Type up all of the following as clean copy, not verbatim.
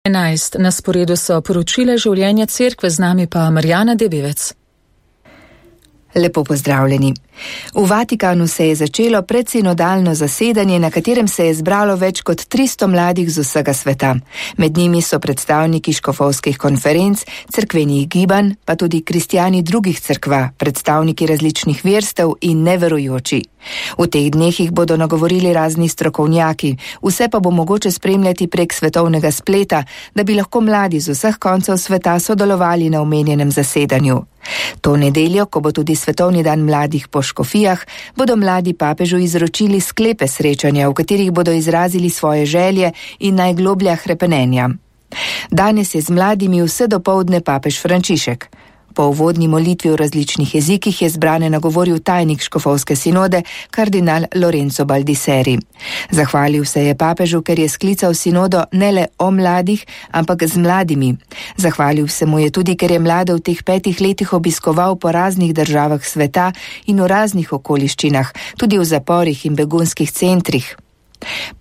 11. Na sporedu so poročila življenja cerkve, z nami pa Marjana Debevec. Lepo pozdravljeni. V Vatikanu se je začelo predsinodalno zasedanje, na katerem se je zbralo več kot 300 mladih z vsega sveta. Med njimi so predstavniki škofovskih konferenc, cerkvenih gibanj, pa tudi kristjani drugih cerkva, predstavniki različnih verstev in neverujoči. V teh dneh jih bodo nagovorili razni strokovnjaki, vse pa bo mogoče spremljati prek svetovnega spleta, da bi lahko mladi z vseh koncev sveta sodelovali na omenjenem zasedanju. To nedeljo, ko bo tudi Svetovni dan mladih po škofijah, bodo mladi papežu izročili sklepe srečanja, v katerih bodo izrazili svoje želje in najgloblja hrepenenja. Danes je z mladimi vse dopoldne papež Frančišek. Po uvodni molitvi v različnih jezikih je zbrane nagovoril tajnik škofovske sinode, kardinal Lorenzo Baldisseri. Zahvalil se je papežu, ker je sklical sinodo ne le o mladih, ampak z mladimi. Zahvalil se mu je tudi, ker je mlade v teh 5 letih obiskoval po raznih državah sveta in v raznih okoliščinah, tudi v zaporih in begunskih centrih.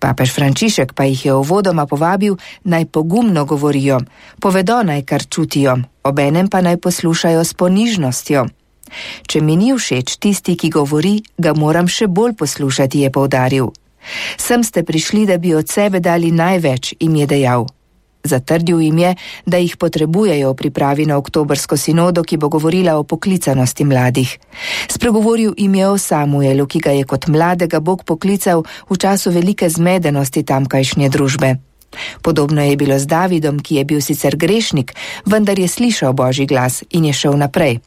Papež Frančišek pa jih je uvodoma povabil, naj pogumno govorijo, povedo naj kar čutijo, obenem pa naj poslušajo s ponižnostjo. Če mi ni všeč tisti, ki govori, ga moram še bolj poslušati, je poudaril. Sem ste prišli, da bi od sebe dali največ, jim je dejal. Zatrdil jim je, da jih potrebujejo v pripravi na oktobrsko sinodo, ki bo govorila o poklicanosti mladih. Spregovoril jim je o Samuelu, ki ga je kot mladega Bog poklical v času velike zmedenosti tamkajšnje družbe. Podobno je bilo z Davidom, ki je bil sicer grešnik, vendar je slišal Božji glas in je šel naprej.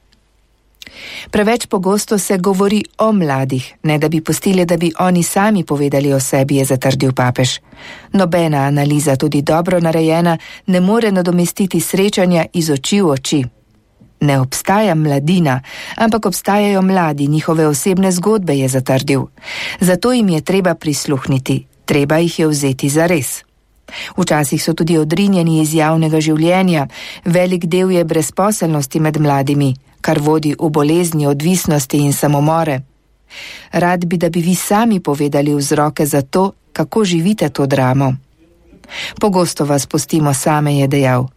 Preveč pogosto se govori o mladih, ne da bi pustili, da bi oni sami povedali o sebi, je zatrdil papež. Nobena analiza, tudi dobro narejena, ne more nadomestiti srečanja iz oči v oči. Ne obstaja mladina, ampak obstajajo mladi, njihove osebne zgodbe, je zatrdil. Zato jim je treba prisluhniti, treba jih je vzeti zares. Včasih so tudi odrinjeni iz javnega življenja, velik del je brezposelnosti med mladimi, kar vodi v bolezni, odvisnosti in samomore. Rad bi, da bi vi sami povedali vzroke za to, kako živite to dramo. Pogosto vas pustimo same, je dejal.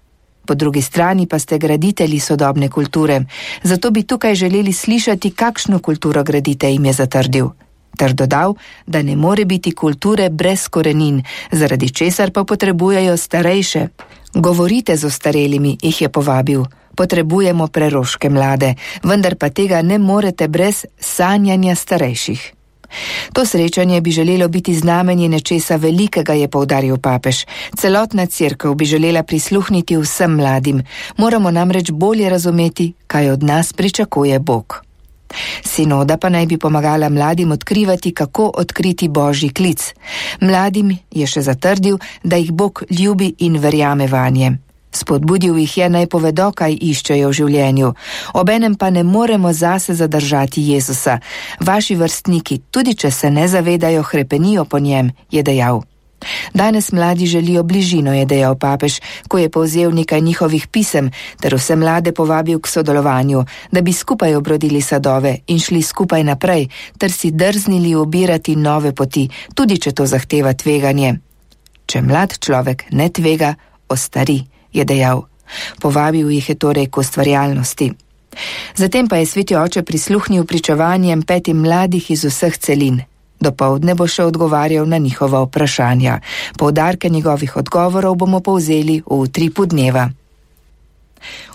Po drugi strani pa ste graditelji sodobne kulture, zato bi tukaj želeli slišati, kakšno kulturo gradite, jim je zatrdil. Ter dodal, da ne more biti kulture brez korenin, zaradi česar pa potrebujejo starejše. Govorite z ostarelimi, jih je povabil. Potrebujemo preroške mlade, vendar pa tega ne morete brez sanjanja starejših. To srečanje bi želelo biti znamenje nečesa velikega, je poudaril papež. Celotna cerkev bi želela prisluhniti vsem mladim. Moramo namreč bolje razumeti, kaj od nas pričakuje Bog. Sinoda pa naj bi pomagala mladim odkrivati, kako odkriti Božji klic. Mladim je še zatrdil, da jih Bog ljubi in verjame vanje. Spodbudil jih je, naj povedo, kaj iščejo v življenju. Obenem pa ne moremo zase zadržati Jezusa. Vaši vrstniki, tudi če se ne zavedajo, hrepenijo po njem, je dejal. Danes mladi želijo bližino, je dejal papež, ko je povzel nekaj njihovih pisem, ter vse mlade povabil k sodelovanju, da bi skupaj obrodili sadove in šli skupaj naprej, ter si drznili ubirati nove poti, tudi če to zahteva tveganje. Če mlad človek ne tvega, ostari, je dejal. Povabil jih je torej k ustvarjalnosti. Zatem pa je sveti oče prisluhnil pričevanjem 5 mladih iz vseh celin. Dopoldne bo še odgovarjal na njihova vprašanja. Poudarke njegovih odgovorov bomo povzeli v utripu dneva.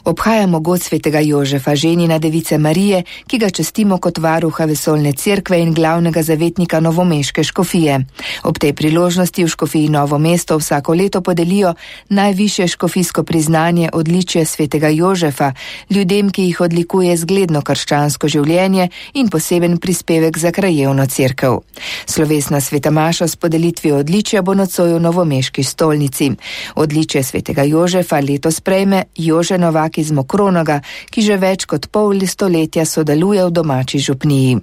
Obhajamo god svetega Jožefa, ženina device Marije, ki ga častimo kot varuha vesoljne cerkve in glavnega zavetnika novomeške škofije. Ob tej priložnosti v škofiji Novo mesto vsako leto podelijo najvišje škofijsko priznanje odličje svetega Jožefa, ljudem, ki jih odlikuje zgledno krščansko življenje in poseben prispevek za krajevno cerkev. Slovesna sveta maša s podelitvijo odličja bo nocoj v novomeški stolnici. Odličje svetega Jožefa letos prejme Jože Novak iz Mokronoga, ki že več kot pol stoletja sodeluje v domači župniji.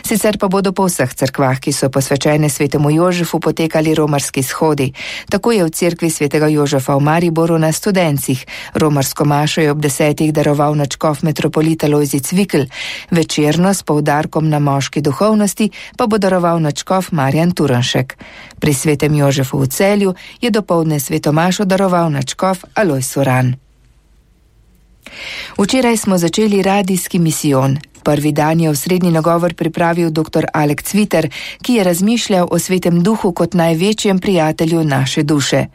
Sicer pa bodo po vseh cerkvah, ki so posvečene svetemu Jožefu, potekali romarski shodi. Tako je v cerkvi svetega Jožefa v Mariboru na Studencih. Romarsko mašo je ob 10. daroval nadškof metropolita Lojze Cvikl. Večerno s poudarkom na moški duhovnosti pa bo daroval nadškof Marjan Turnšek. Pri svetem Jožefu v Celju je dopoldne sveto mašo daroval nadškof Alojz Uran. Včeraj smo začeli radijski misijon. Prvi dan je osrednji nagovor pripravil dr. Alek Cviter, ki je razmišljal o svetem duhu kot največjem prijatelju naše duše.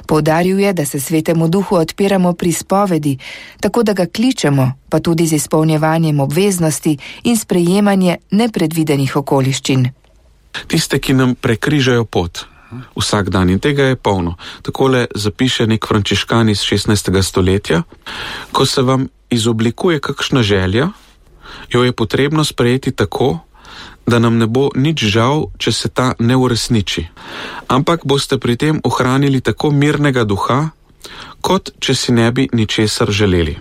Poudaril je, da se svetemu duhu odpiramo pri spovedi, tako da ga kličemo, pa tudi z izpolnjevanjem obveznosti in sprejemanje nepredvidenih okoliščin. Tiste, ki nam prekrižajo pot vsak dan, in tega je polno. Takole zapiše nek frančiškan iz 16. stoletja: ko se vam izoblikuje kakšna želja, jo je potrebno sprejeti tako, da nam ne bo nič žal, če se ta ne uresniči, ampak boste pri tem ohranili tako mirnega duha, kot če si ne bi ničesar želeli.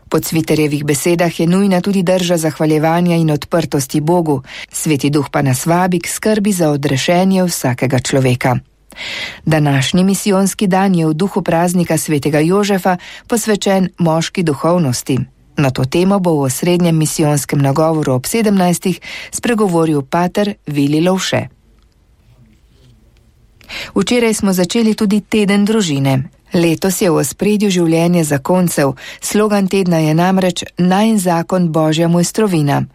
Po Cviterjevih besedah je nujna tudi drža zahvaljevanja in odprtosti Bogu, sveti duh pa nas vabi k skrbi za odrešenje vsakega človeka. Današnji misijonski dan je v duhu praznika svetega Jožefa posvečen moški duhovnosti. Na to temo bo v osrednjem misijonskem nagovoru ob 17. spregovoril pater Vili Lovše. Včeraj smo začeli tudi teden družine. Letos je v ospredju življenje zakoncev, slogan tedna je namreč Najin zakon Božja mojstrovina.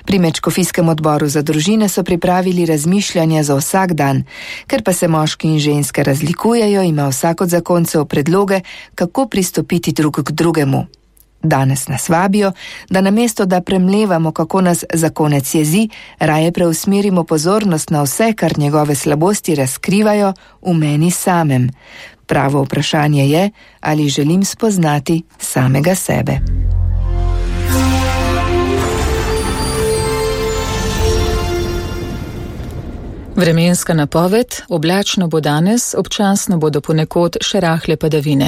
Pri Mečkofijskem odboru za družine so pripravili razmišljanja za vsak dan. Ker pa se moški in ženske razlikujejo, ima vsak od zakoncev predloge, kako pristopiti drug k drugemu. Danes nas vabijo, da namesto da premlevamo, kako nas zakonec jezi, raje preusmerimo pozornost na vse, kar njegove slabosti razkrivajo v meni samem. Pravo vprašanje je, ali želim spoznati samega sebe. Vremenska napoved: oblačno bo danes, občasno bodo ponekod še rahle padavine.